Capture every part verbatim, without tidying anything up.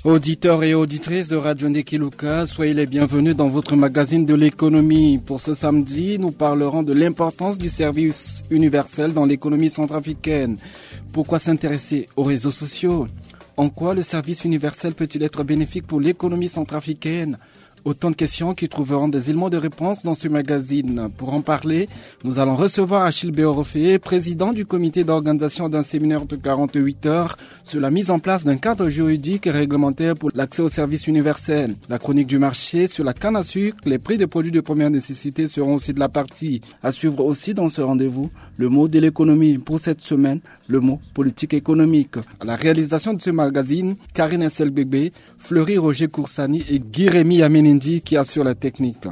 Auditeurs et auditrices de Radio Ndekiluka, soyez les bienvenus dans votre magazine de l'économie. Pour ce samedi, nous parlerons de l'importance du service universel dans l'économie centrafricaine. Pourquoi s'intéresser aux réseaux sociaux ? En quoi le service universel peut-il être bénéfique pour l'économie centrafricaine ? Autant de questions qui trouveront des éléments de réponse dans ce magazine. Pour en parler, nous allons recevoir Achille Béorofé, président du comité d'organisation d'un séminaire de quarante-huit heures sur la mise en place d'un cadre juridique et réglementaire pour l'accès au service universel. La chronique du marché sur la canne à sucre, les prix des produits de première nécessité seront aussi de la partie. À suivre aussi dans ce rendez-vous, le mot de l'économie. Pour cette semaine, le mot politique économique. À la réalisation de ce magazine, Karine Esselbegbe, Fleury Roger Koursani et Guy Rémy Yamenindi qui assurent la technique.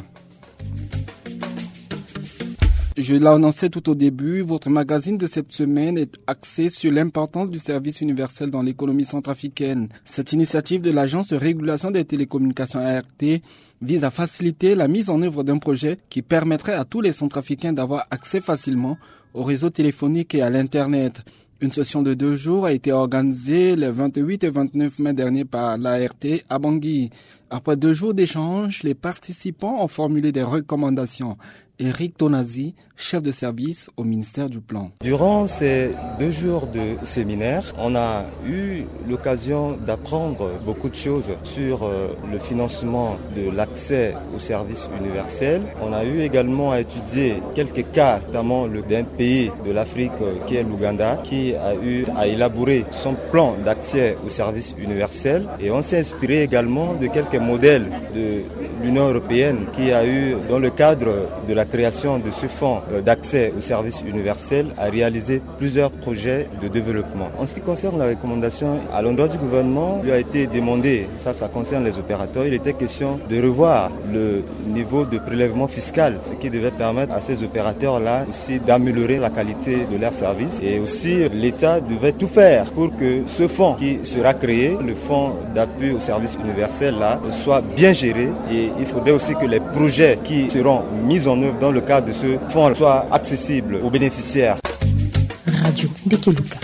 Je l'annonçais tout au début, votre magazine de cette semaine est axé sur l'importance du service universel dans l'économie centrafricaine. Cette initiative de l'Agence de régulation des télécommunications, A R T, vise à faciliter la mise en œuvre d'un projet qui permettrait à tous les Centrafricains d'avoir accès facilement au réseau téléphonique et à l'Internet. Une session de deux jours a été organisée les vingt-huit et vingt-neuf mai dernier par l'A R T à Bangui. Après deux jours d'échange, les participants ont formulé des recommandations. Eric Tonazi, chef de service au ministère du Plan. Durant ces deux jours de séminaire, on a eu l'occasion d'apprendre beaucoup de choses sur, euh, le financement de l'accès au service universel. On a eu également à étudier quelques cas, notamment le, d'un pays de l'Afrique, euh, qui est l'Ouganda, qui a eu à élaborer son plan d'accès au service universel. Et on s'est inspiré également de quelques modèles de l'Union européenne qui a eu, dans le cadre de la création de ce fonds, euh, d'accès au service universel, à réaliser plusieurs projets de développement. En ce qui concerne la recommandation, à l'endroit du gouvernement, il lui a été demandé, ça, ça concerne les opérateurs, il était question de revoir le niveau de prélèvement fiscal, ce qui devait permettre à ces opérateurs-là aussi d'améliorer la qualité de leur service. Et aussi, l'État devait tout faire pour que ce fonds qui sera créé, le fonds d'appui au service universel là, soit bien géré. Et il faudrait aussi que les projets qui seront mis en œuvre dans le cadre de ce fonds soient accessibles aux bénéficiaires. Radio Ndekiluka.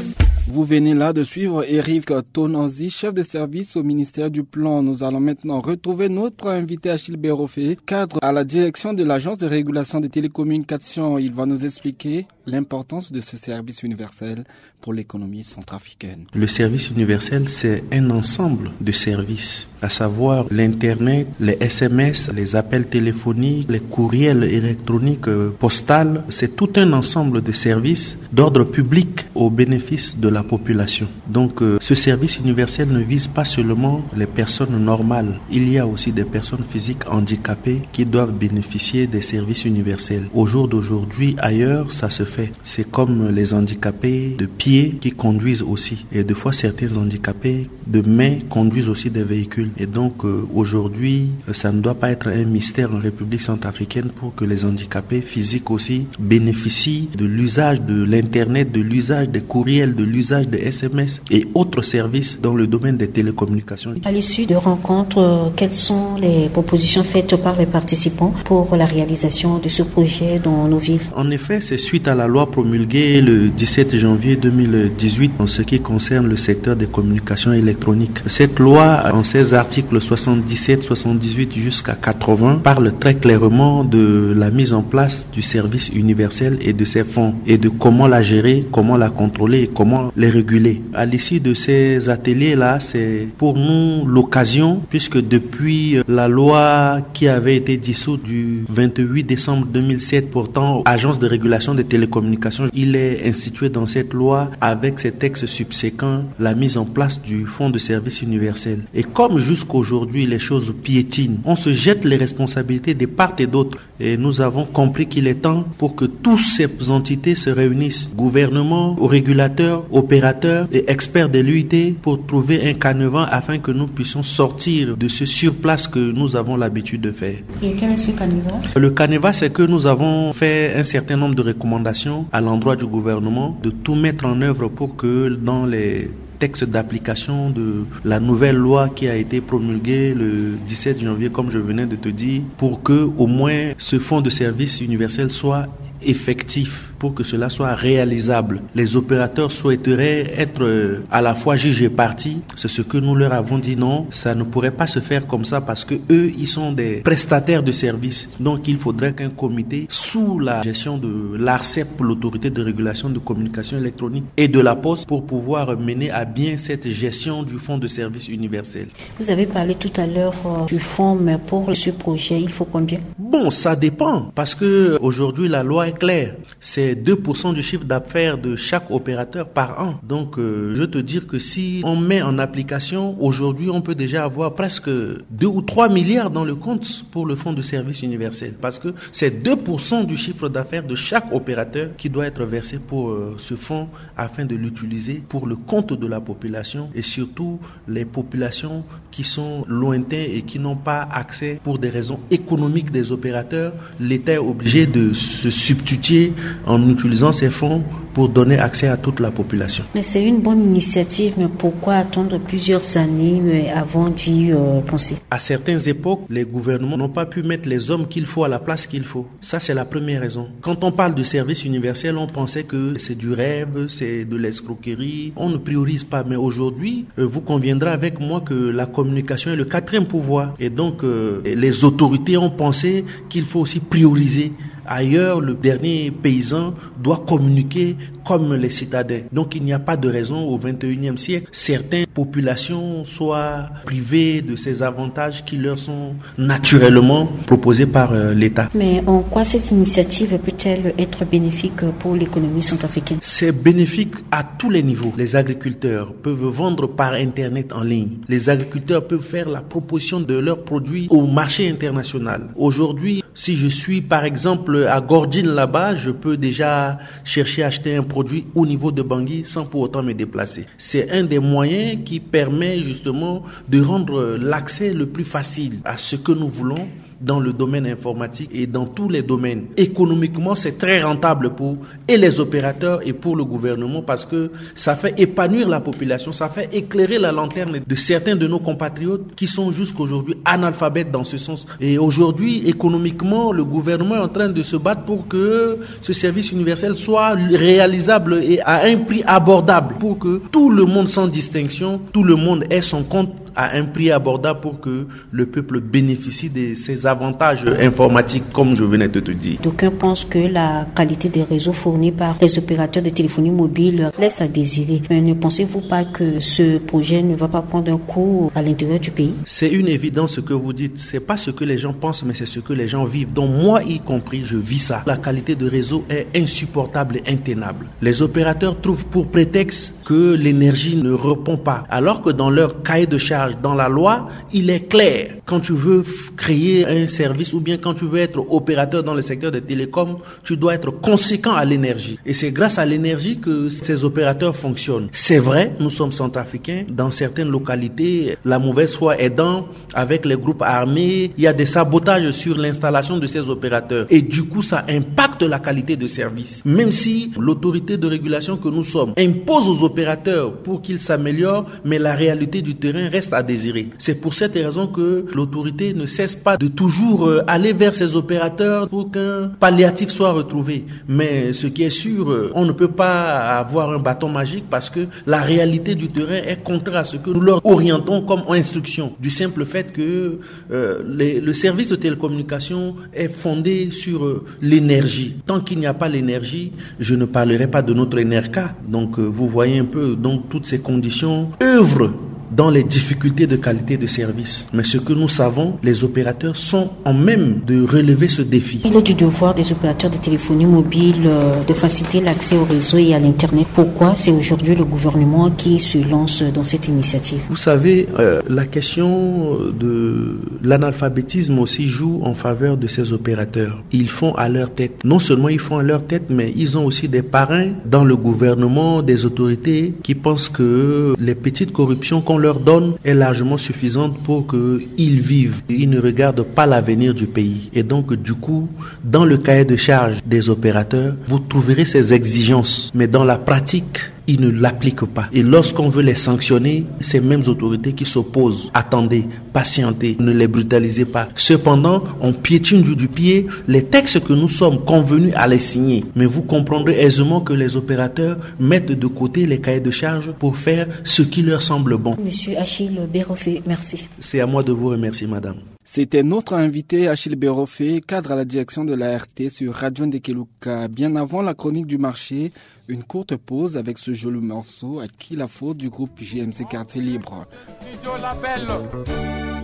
Vous venez là de suivre Eric Tonanzi, chef de service au ministère du Plan. Nous allons maintenant retrouver notre invité Achille Bérofé, cadre à la direction de l'Agence de régulation des télécommunications. Il va nous expliquer l'importance de ce service universel pour l'économie centrafricaine. Le service universel, c'est un ensemble de services, à savoir l'Internet, les S M S, les appels téléphoniques, les courriels électroniques, euh, postales. C'est tout un ensemble de services d'ordre public au bénéfice de la population. Donc, euh, ce service universel ne vise pas seulement les personnes normales. Il y a aussi des personnes physiques handicapées qui doivent bénéficier des services universels. Au jour d'aujourd'hui, ailleurs, ça se fait. C'est comme les handicapés de pied qui conduisent aussi. Et des fois, certains handicapés de main conduisent aussi des véhicules. Et donc, euh, aujourd'hui, euh, ça ne doit pas être un mystère en République centrafricaine pour que les handicapés physiques aussi bénéficient de l'usage de l'Internet, de l'usage des courriels, de l'usage des S M S et autres services dans le domaine des télécommunications. À l'issue de rencontres, euh, quelles sont les propositions faites par les participants pour la réalisation de ce projet dans nos villes ? En effet, c'est suite à la loi promulguée le dix-sept janvier deux mille dix-huit en ce qui concerne le secteur des communications électroniques. Cette loi, en ses articles soixante-dix-sept, soixante-dix-huit jusqu'à quatre-vingts, parle très clairement de la mise en place du service universel et de ses fonds et de comment la gérer, comment la contrôler et comment les réguler. À l'issue de ces ateliers-là, c'est pour nous l'occasion, puisque depuis, euh, la loi qui avait été dissoute du vingt-huit décembre deux mille sept portant agence de régulation des télécommunications, il est institué dans cette loi, avec ses textes subséquents, la mise en place du fonds de service universel. Et comme jusqu'aujourd'hui les choses piétinent, on se jette les responsabilités de part et d'autre. Et nous avons compris qu'il est temps pour que toutes ces entités se réunissent, gouvernement, régulateurs, opérateurs et experts de l'U I T, pour trouver un canevas afin que nous puissions sortir de ce surplace que nous avons l'habitude de faire. Et quel est ce canevas ? Le canevas, c'est que nous avons fait un certain nombre de recommandations à l'endroit du gouvernement de tout mettre en œuvre pour que dans les texte d'application de la nouvelle loi qui a été promulguée le dix-sept janvier, comme je venais de te dire, pour que au moins ce fonds de service universel soit effectif. Pour que cela soit réalisable, les opérateurs souhaiteraient être, euh, à la fois juge et partie. C'est ce que nous leur avons dit, non, ça ne pourrait pas se faire comme ça parce que eux, ils sont des prestataires de services. Donc, il faudrait qu'un comité sous la gestion de l'ARCEP, l'autorité de régulation de communication électronique et de la poste, pour pouvoir mener à bien cette gestion du fonds de service universel. Vous avez parlé tout à l'heure, euh, du fonds, mais pour ce projet, il faut combien ? Bon, ça dépend, parce que aujourd'hui, la loi est claire. C'est deux pour cent du chiffre d'affaires de chaque opérateur par an. Donc, euh, je veux te dire que si on met en application, aujourd'hui, on peut déjà avoir presque deux ou trois milliards dans le compte pour le fonds de service universel. Parce que c'est deux pour cent du chiffre d'affaires de chaque opérateur qui doit être versé pour, euh, ce fonds afin de l'utiliser pour le compte de la population et surtout les populations qui sont lointains et qui n'ont pas accès pour des raisons économiques des opérateurs. L'État est obligé de se substituer en utilisant ces fonds pour donner accès à toute la population. Mais c'est une bonne initiative, mais pourquoi attendre plusieurs années, euh, avant d'y, euh, penser ? À certaines époques, les gouvernements n'ont pas pu mettre les hommes qu'il faut à la place qu'il faut. Ça, c'est la première raison. Quand on parle de service universel, on pensait que c'est du rêve, c'est de l'escroquerie. On ne priorise pas. Mais aujourd'hui, euh, vous conviendrez avec moi que la communication est le quatrième pouvoir. Et donc, euh, les autorités ont pensé qu'il faut aussi prioriser. Ailleurs, le dernier paysan doit communiquer comme les citadins. Donc, il n'y a pas de raison au vingt et unième siècle, certaines populations soient privées de ces avantages qui leur sont naturellement proposés par, euh, l'État. Mais en quoi cette initiative peut-elle être bénéfique pour l'économie centrafricaine ? C'est bénéfique à tous les niveaux. Les agriculteurs peuvent vendre par Internet en ligne. Les agriculteurs peuvent faire la proposition de leurs produits au marché international. Aujourd'hui, si je suis par exemple à Gordjine là-bas, je peux déjà chercher à acheter un produit au niveau de Bangui sans pour autant me déplacer. C'est un des moyens qui permet justement de rendre l'accès le plus facile à ce que nous voulons dans le domaine informatique et dans tous les domaines. Économiquement, c'est très rentable pour et les opérateurs et pour le gouvernement parce que ça fait épanouir la population, ça fait éclairer la lanterne de certains de nos compatriotes qui sont jusqu'aujourd'hui analphabètes dans ce sens. Et aujourd'hui, économiquement, le gouvernement est en train de se battre pour que ce service universel soit réalisable et à un prix abordable pour que tout le monde sans distinction, tout le monde ait son compte à un prix abordable pour que le peuple bénéficie de ces avantages informatiques, comme je venais de te dire. D'aucuns pensent que la qualité des réseaux fournis par les opérateurs de téléphonie mobile laisse à désirer. Mais ne pensez-vous pas que ce projet ne va pas prendre un coup à l'intérieur du pays ? C'est une évidence ce que vous dites. C'est pas ce que les gens pensent, mais c'est ce que les gens vivent. Donc moi, y compris, je vis ça. La qualité de réseau est insupportable et intenable. Les opérateurs trouvent pour prétexte que l'énergie ne répond pas, alors que dans leur cahier de charge, dans la loi, il est clair. Quand tu veux f-, créer un service ou bien quand tu veux être opérateur dans le secteur des télécoms, tu dois être conséquent à l'énergie. Et c'est grâce à l'énergie que ces opérateurs fonctionnent. C'est vrai, nous sommes centrafricains. Dans certaines localités, la mauvaise foi aidant, avec les groupes armés, il y a des sabotages sur l'installation de ces opérateurs. Et du coup, ça impacte la qualité de service. Même si l'autorité de régulation que nous sommes impose aux opérateurs pour qu'ils s'améliorent, mais la réalité du terrain reste à désirer. C'est pour cette raison que l'autorité ne cesse pas de toujours, euh, aller vers ces opérateurs pour qu'un palliatif soit retrouvé. Mais ce qui est sûr, euh, on ne peut pas avoir un bâton magique parce que la réalité du terrain est contraire à ce que nous leur orientons comme instruction. Du simple fait que, euh, les, le service de télécommunication est fondé sur, euh, l'énergie. Tant qu'il n'y a pas l'énergie, je ne parlerai pas de notre N R K. Donc, euh, vous voyez un peu, donc toutes ces conditions œuvrent dans les difficultés de qualité de service. Mais ce que nous savons, les opérateurs sont en même de relever ce défi. Il est du devoir des opérateurs de téléphonie mobile, euh, de faciliter l'accès au réseau et à l'Internet. Pourquoi c'est aujourd'hui le gouvernement qui se lance dans cette initiative ? Vous savez, euh, la question de l'analphabétisme aussi joue en faveur de ces opérateurs. Ils font à leur tête. Non seulement ils font à leur tête, mais ils ont aussi des parrains dans le gouvernement, des autorités qui pensent que les petites corruptions qu'on leur donne est largement suffisante pour qu'ils vivent. Ils ne regardent pas l'avenir du pays. Et donc, du coup, dans le cahier de charge des opérateurs, vous trouverez ces exigences. Mais dans la pratique, Ils ne l'appliquent pas. Et lorsqu'on veut les sanctionner, ces mêmes autorités qui s'opposent, attendez, patientez, ne les brutalisez pas. Cependant, on piétine du, du pied les textes que nous sommes convenus à les signer. Mais vous comprendrez aisément que les opérateurs mettent de côté les cahiers de charges pour faire ce qui leur semble bon. Monsieur Achille Bérofé, merci. C'est à moi de vous remercier, madame. C'était notre invité Achille Bérofé, cadre à la direction de l'A R T sur Radio Ndekeluka. Bien avant la chronique du marché, une courte pause avec ce joli morceau, À qui la faute, du groupe J M C Quartier Libre. Studio Label,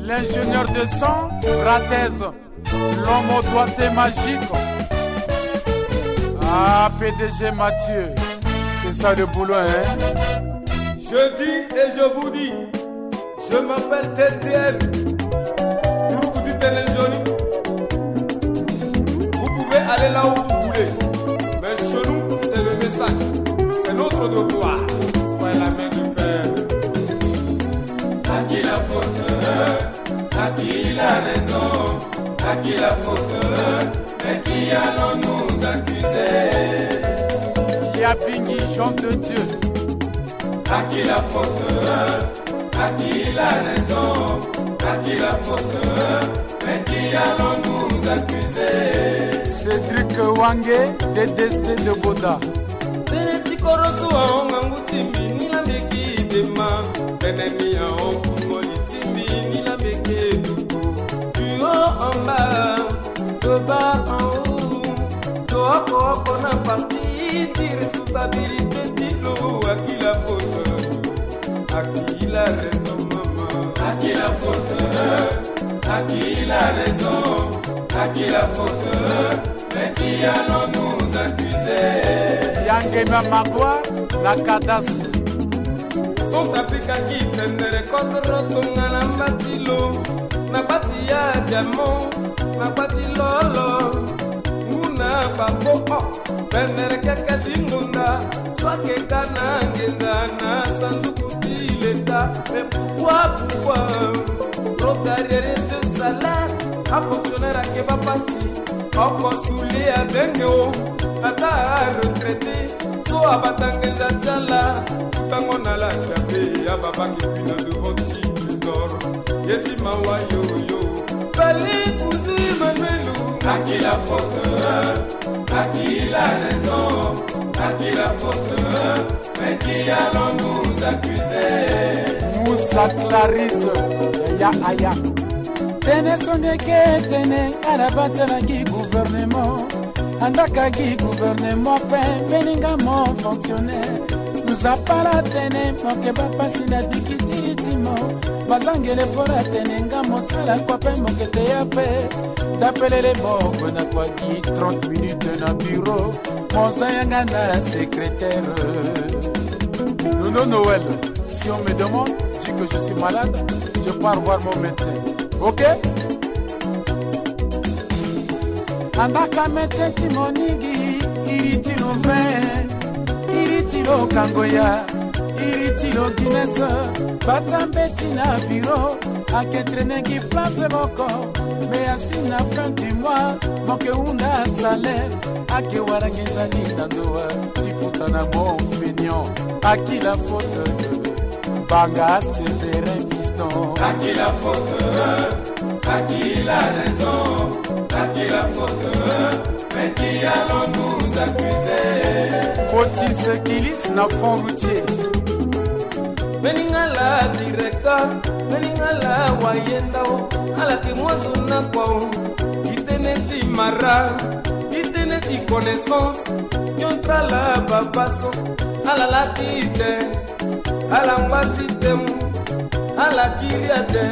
l'ingénieur de son, Bratez, l'homme au doigté magique. Ah, P D G Mathieu, c'est ça le boulot, hein? Je dis et je vous dis, je m'appelle T T L. Groupe du Télé Johnny. Vous pouvez aller là où vous voulez. Mais chez nous, c'est le message. C'est notre devoir. C'est pas la main de fer. À qui la faute? À qui la raison? À qui la faute? Mais qui allons-nous accuser? Yabingi, Jean de Dieu. À qui la faute? À qui la raison? À qui la faute? Mais qui allons-nous accuser? Cédric Wange, D D C de Boda. Tene ti korosu ahon ngangu ti mbi ni la mbi ki dema. Tene ni ahon kungoli ti mbi ni la mbi ki duku. Du haut en bas, de bas en haut. So oko oko na parti ti responsabilité ti lo. À qui la faute? À qui la raison, maman? À qui la faute? À qui la raison? À qui la faute? Mais qui allons-nous accuser? Yangema Magua, la cadastre. Centrafrique aki tendere contre tonga na mbati lo. Na bati ya diamant, na bati lolo. Nguna babo, oh. Bendere keke ti ngonda, soit keka na ngenza na sanduku ti leta. Mais pourquoi, pourquoi retard de salaire? A fonctionnaire ake bapasi, oko suli adenge o, ata a retraité, so abata ngenza ti ala, futango na la chape, ababaki puis na devant ti trésor. Ye ti mawa yo yo. Fallait cousu Emmanuel. À qui la faute? À qui la raison? À qui la faute? Mais qui allons-nous accuser? Moussa Clarisse, ya aya. Tene sondeke tene, ala batela gi gouvernement. Andaka gi gouvernement pe, mbeni nga mo fonctionnaire. Nzapa la tene, mo ke bapasi na bikitiri ti mo. Bazangele po la tene nga mo sala kua pe mo ke te ya pe. Dapelele mo gue na kua gi trente minutes na bureau. Mo za yanga na secrétaire. Nono Noël, si on me demande, dis que je suis malade, je pars voir mon médecin. Ok? Andaka médecin ti mo ni gi, iri ti lo vin, iri ti lo kangoya, iri ti lo Guinness, bata mbeti na bureau, ake traîner gi place moko, mais asi na fin du mois, mo ke hunda salaire, ake wara nginza ni na ndoa, ti futa na mo fainéant, à qui la faute? Banga Séverin Fiston. À qui la faute? À qui la raison? À qui la faute? Mais qui allons-nous accuser? Otis Kilis na fond routier. Mbeni nga la directeur, mbeni nga la wayenda o, ala ke mwazo na kua o. I tene ti mara, i tene ti connaissance, nyon tra la babaso, ala la ti te. Ala ngba ti temu, ala kiri ate,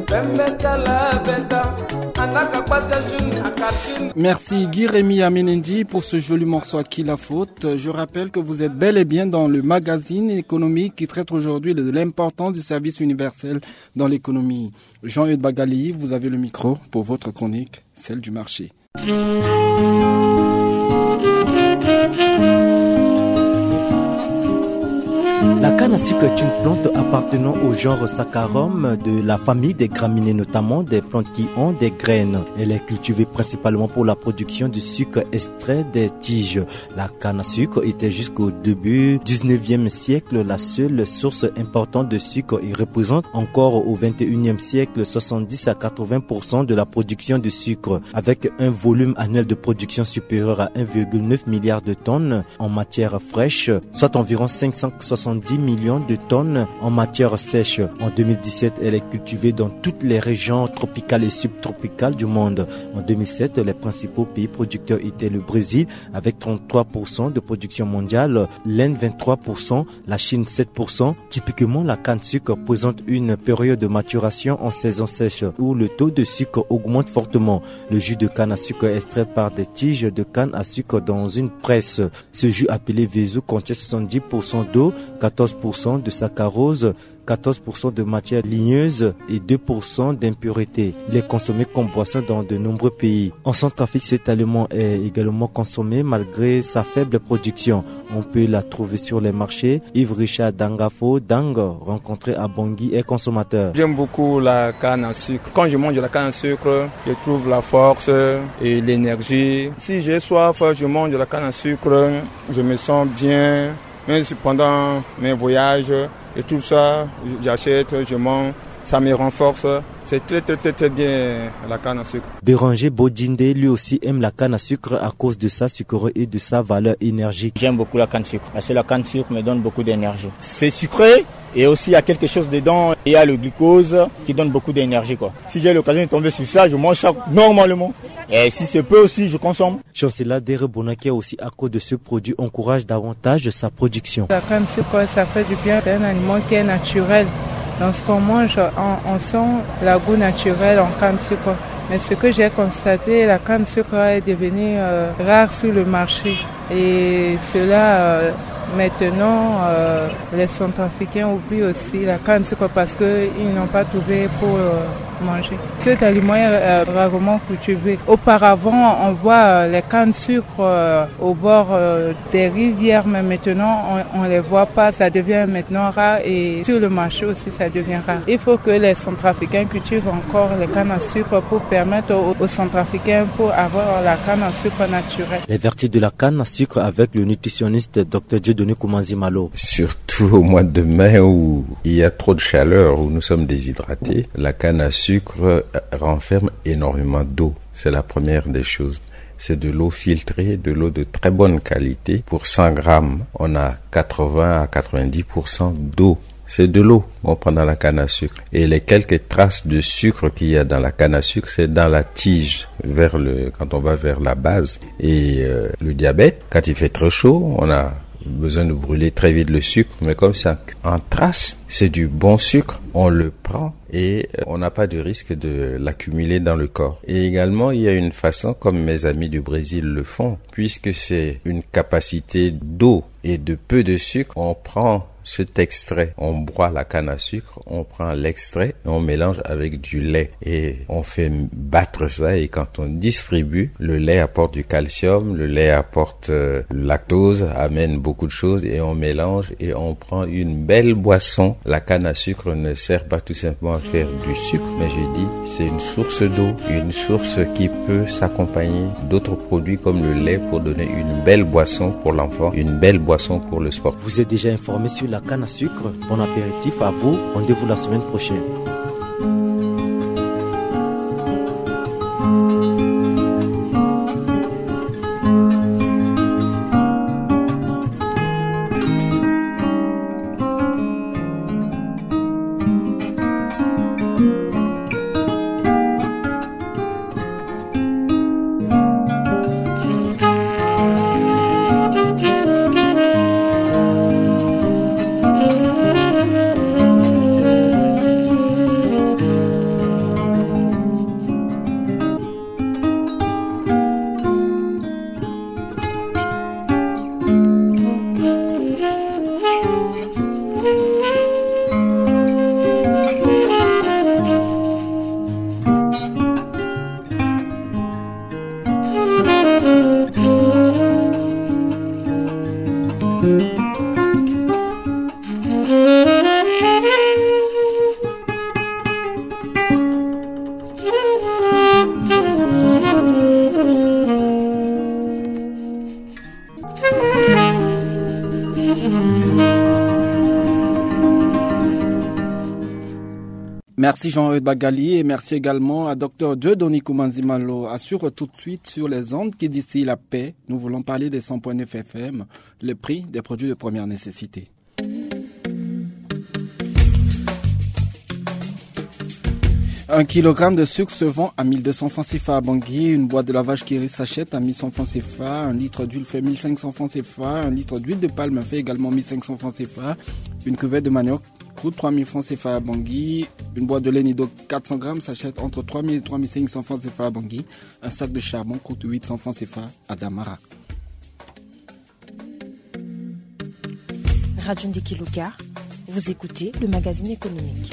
pembe ti ala beta, anaka kpa ti ajeune a quartier. Merci Guy Rémy Amenendi pour ce joli morceau À qui la faute. Je rappelle que vous êtes bel et bien dans le magazine économique qui traite aujourd'hui de l'importance du service universel dans l'économie. Jean-Eudes Bagali, vous avez le micro pour votre chronique, celle du marché. La La canne à sucre est une plante appartenant au genre Saccharum de la famille des graminées, notamment des plantes qui ont des graines. Elle est cultivée principalement pour la production du sucre extrait des tiges. La canne à sucre était jusqu'au début dix-neuvième siècle la seule source importante de sucre et représente encore au vingt et unième siècle soixante-dix à quatre-vingts pour cent de la production de sucre, avec un volume annuel de production supérieur à un virgule neuf milliard de tonnes en matière fraîche, soit environ cinq cent soixante-dix millions de tonnes en matière sèche. En deux mille dix-sept, elle est cultivée dans toutes les régions tropicales et subtropicales du monde. En deux mille sept, les principaux pays producteurs étaient le Brésil avec trente-trois pour cent de production mondiale, l'Inde vingt-trois pour cent, la Chine sept pour cent. Typiquement, la canne sucre présente une période de maturation en saison sèche où le taux de sucre augmente fortement. Le jus de canne à sucre est extrait par des tiges de canne à sucre dans une presse. Ce jus appelé Vezu contient soixante-dix pour cent d'eau, quatorze pour cent de saccharose, quatorze pour cent de matière ligneuse et deux pour cent d'impuretés. Il est consommé comme boisson dans de nombreux pays. En Centrafrique, cet aliment est également consommé malgré sa faible production. On peut la trouver sur les marchés. Yves Richard Dangafo Dang, rencontré à Bangui, est consommateur. J'aime beaucoup la canne à sucre. Quand je mange la canne à sucre, je trouve la force et l'énergie. Si j'ai soif, je mange la canne à sucre, je me sens bien. Même si pendant mes voyages et tout ça, j'achète, je mange, ça me renforce. C'est très, très, très, très bien, la canne à sucre. Béranger Bodjindé, lui aussi, aime la canne à sucre à cause de sa sucrerie et de sa valeur énergique. J'aime beaucoup la canne sucre parce que la canne sucre me donne beaucoup d'énergie. C'est sucré et aussi il y a quelque chose dedans. Il y a le glucose qui donne beaucoup d'énergie, quoi. Si j'ai l'occasion de tomber sur ça, je mange ça normalement. Et si se peut aussi, je consomme. Chancela Derebonaki aussi, à cause de ce produit, encourage davantage sa production. La canne sucre, ça fait du bien. C'est un aliment qui est naturel. Dans ce qu'on mange, on, on sent le goût naturel en canne sucre. Mais ce que j'ai constaté, la canne sucre est devenue, euh, rare sur le marché. Et cela, euh, maintenant, euh, les Centrafricains oublient aussi la canne sucre parce qu'ils n'ont pas trouvé pour, euh, manger. Cet aliment est, euh, rarement cultivé. Auparavant, on voit, euh, les cannes sucre, euh, au bord, euh, des rivières, mais maintenant, on, on les voit pas. Ça devient maintenant rare et sur le marché aussi, ça devient rare. Il faut que les Centrafricains cultivent encore les cannes à sucre pour permettre aux, aux Centrafricains pour avoir la canne à sucre naturelle. Les vertus de la canne à sucre avec le nutritionniste docteur Dieudonné Koumanzi Malo. Surtout au mois de mai où il y a trop de chaleur, où nous sommes déshydratés, la canne à sucre, euh, renferme énormément d'eau. C'est la première des choses. C'est de l'eau filtrée, de l'eau de très bonne qualité. Pour cent grammes, on a quatre-vingts à quatre-vingt-dix pour cent d'eau. C'est de l'eau qu'on prend dans la canne à sucre. Et les quelques traces de sucre qu'il y a dans la canne à sucre, c'est dans la tige, vers le, quand on va vers la base. Et, euh, le diabète, quand il fait très chaud, on a besoin de brûler très vite le sucre, mais comme c'est en, en trace, c'est du bon sucre, on le prend et, euh, on n'a pas de risque de l'accumuler dans le corps. Et également, il y a une façon, comme mes amis du Brésil le font, puisque c'est une capacité d'eau et de peu de sucre, on prend cet extrait, on broie la canne à sucre, on prend l'extrait et on mélange avec du lait et on fait battre ça, et quand on distribue, le lait apporte du calcium, le lait apporte, euh, lactose, amène beaucoup de choses et on mélange et on prend une belle boisson. La canne à sucre ne sert pas tout simplement à faire du sucre, mais je dis, c'est une source d'eau, une source qui peut s'accompagner d'autres produits comme le lait pour donner une belle boisson pour l'enfant, une belle boisson pour le sport. Vous êtes déjà informé sur la canne à sucre. Bon apéritif à vous. Rendez-vous la semaine prochaine. Merci Jean-Eudes Bagali et merci également à Dr Dieudonné Koumanzimalo. À suivre tout de suite sur les ondes qui distillent la paix. Nous voulons parler des cent point neuf F M, le prix des produits de première nécessité. Un kilogramme de sucre se vend à mille deux cents francs C F A à Bangui. Une boîte de lavage Kiri s'achète à mille cent francs C F A. Un litre d'huile fait mille cinq cents francs C F A. Un litre d'huile de palme fait également mille cinq cents francs C F A. Une cuvette de manioc coûte trois mille francs C F A à Bangui. Une boîte de lait Nido quatre cents grammes s'achète entre trois mille et trois mille cinq cents francs C F A à Bangui. Un sac de charbon coûte huit cents francs C F A à Damara. Radio Ndiki Luka, vous écoutez le magazine économique.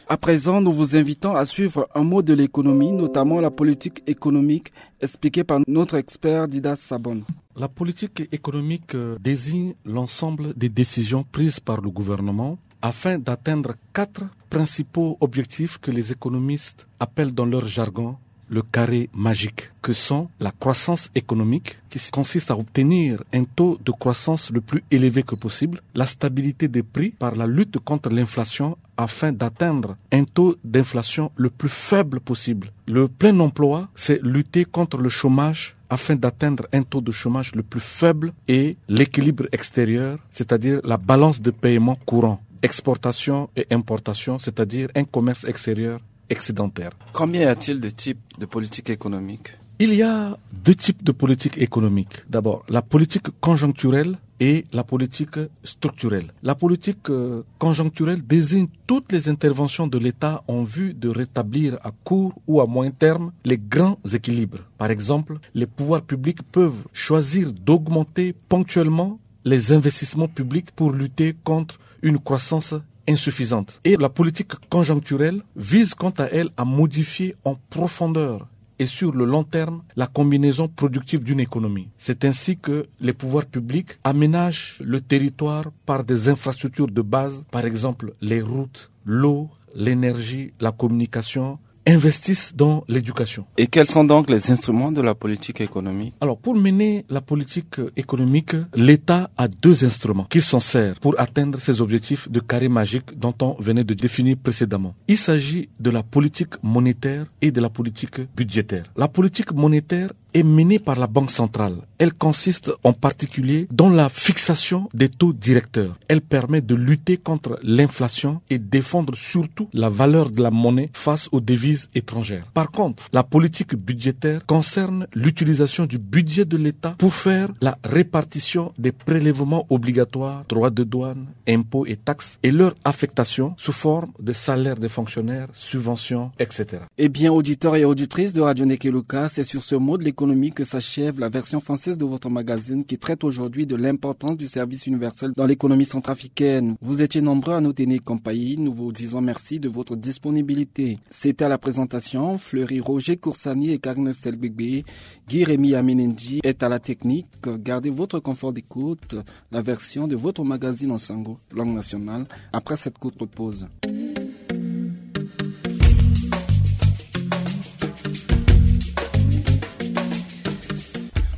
À présent, nous vous invitons à suivre un mot de l'économie, notamment la politique économique, expliquée par notre expert Dida Sabon. La politique économique, euh, désigne l'ensemble des décisions prises par le gouvernement afin d'atteindre quatre principaux objectifs que les économistes appellent dans leur jargon le carré magique, que sont la croissance économique, qui s-, consiste à obtenir un taux de croissance le plus élevé que possible, la stabilité des prix par la lutte contre l'inflation afin d'atteindre un taux d'inflation le plus faible possible. Le plein emploi, c'est lutter contre le chômage afin d'atteindre un taux de chômage le plus faible, et l'équilibre extérieur, c'est-à-dire la balance de paiement courant, exportation et importation, c'est-à-dire un commerce extérieur excédentaire. Combien y a-t-il de types de politique économique ? Il y a deux types de politique économique. D'abord, la politique conjoncturelle et la politique structurelle. La politique, euh, conjoncturelle désigne toutes les interventions de l'État en vue de rétablir à court ou à moyen terme les grands équilibres. Par exemple, les pouvoirs publics peuvent choisir d'augmenter ponctuellement les investissements publics pour lutter contre une croissance insuffisante. Et la politique conjoncturelle vise quant à elle à modifier en profondeur et sur le long terme la combinaison productive d'une économie. C'est ainsi que les pouvoirs publics aménagent le territoire par des infrastructures de base, par exemple les routes, l'eau, l'énergie, la communication, investissent dans l'éducation. Et quels sont donc les instruments de la politique économique ? Alors, pour mener la politique économique, l'État a deux instruments qu'il s'en sert pour atteindre ses objectifs de carré magique dont on venait de définir précédemment. Il s'agit de la politique monétaire et de la politique budgétaire. La politique monétaire est menée par la Banque centrale. Elle consiste en particulier dans la fixation des taux directeurs. Elle permet de lutter contre l'inflation et défendre surtout la valeur de la monnaie face aux devises étrangères. Par contre, la politique budgétaire concerne l'utilisation du budget de l'État pour faire la répartition des prélèvements obligatoires, droits de douane, impôts et taxes, et leur affectation sous forme de salaires des fonctionnaires, subventions, et cetera. Eh bien, auditeurs et auditrices de Radio Ndeke Luka, c'est sur ce mot de l'économie que s'achève la version française de votre magazine qui traite aujourd'hui de l'importance du service universel dans l'économie centrafricaine. Vous étiez nombreux à nous tenir compagnie. Nous vous disons merci de votre disponibilité. C'était à la présentation Fleury Roger Koursani et Karine Estelle Bébé. Guy Rémy Amenendi est à la technique. Gardez votre confort d'écoute. La version de votre magazine en sango, langue nationale, après cette courte pause.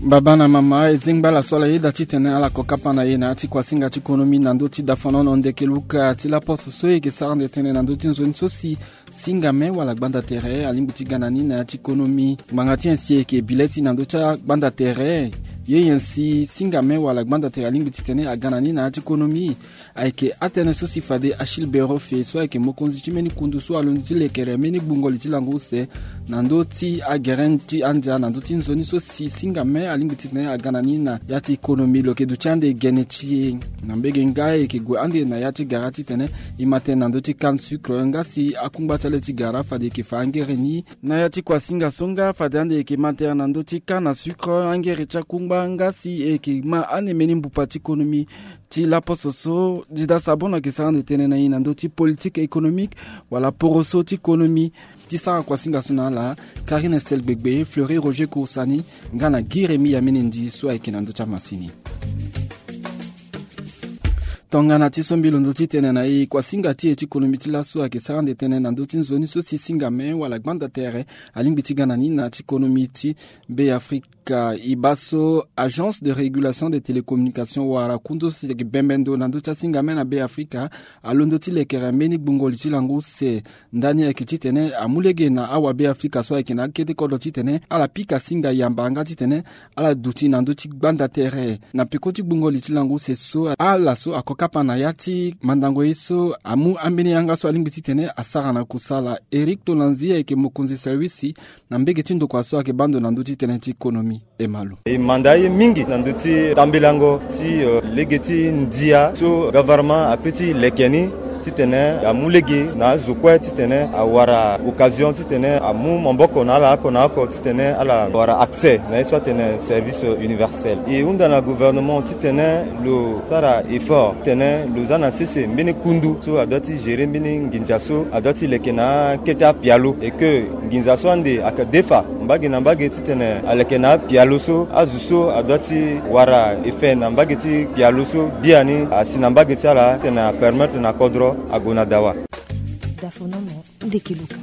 Baba na mama, e zingba la so ala yeda titene ala ko kapa na e na ya ti kuasinga ti konomi na ndö ti dafanono ndeke luka ti laposo so e yeke sara nde tënë na ndö ti nzoni so si singame wala gbanda tere alingbi ti ga na ni na ya ti konomi. Ngbanga ti nyen si e yeke bi le ti na ndö ti agbanda tere? Ye nyen si singame wala gbanda tere alingbi titene aga na ni na ya ti konomi? Ayeke atënë so si fade Achille Berofe so ayeke mokonzi ti mbeni kundu so alondo ti lekere mbeni gbungo li ti lango use na ndö ti agere ti andia na ndö ti nzoni so si singame alingbi titene aga na ni na ya ti konomi. Lo yeke duti ande gene ti e na mbege nga e yeke gue ande na ya ti gara titene e ma tënë na ndö ti canne sucre nga si akungba ti ale ti gara fade e yeke fa angere ni na ya ti kuasinga so nga fade ande e yeke ma tënë na ndö ti canne à sucre, angere ti akungba nga si e yeke ma ande mbeni mbupa ti konomi. Ti laposo so Dida Sabon ayeke sara ande tënë na e na ndö ti politique économique wala poroso ti konomi. Ti sara kuasinga so na ala, Karine Estelle Gbegbe, Fleury Roger Koursani nga na Guy Rémy Amenendi so ayeke na ndö ti amasini. Tongana ti so mbi londo ti tene na e, kuasinga ti e ti konomi ti laso ayeke sara ande tënë na ndö ti nzoni so si singame wala gbanda tere alingbi ti ga na ni na ya ti konomi ti Be Afrika. Afrika e baa so Agence de Régulation des Télécommunications wala kundu so si ayeke bembe ndo na ndö ti asinga me na Be Afrika alondo ti lekere mbeni gbungo li ti lango use. Ndani ayeke titene amu lege na awa Be Afrika so ayeke na akete kodro titene ala pika singa yamba nga titene ala duti na ndö ti gbanda tere. Na peko ti gbungo li ti lango use so, ala so ako kapa na ya ti mandango ye so amu ambeni yanga so alingbi titene asara na kusala. Eric Tolanzi ayeke mokonzi service na mbege ti ndokua so ayeke baa ndo na ndö ti tënë ti konomi. E ma lo. E manda aye mingi na ndö ti tambelango ti, euh, lege ti ndia so gouvernement ape ti leke ni titene amu lege na azo kue titene awara occasion titene amu maboko na ala oko na oko titene ala wara accès na ye so atene service universel. E hunda na gouvernement titene lo sara effort titene lo za na sese mbeni kundu so adoit ti gérer mbeni nginza so adoit ti leke na akete apialo, et que nginza so ande ayeke defa mbage na mbage titene aleke na apialo so azo so adoit ti wara effet na mbage ti pialo so biani asi na mbage ti ala titene apermettre na kodro ague na dawa.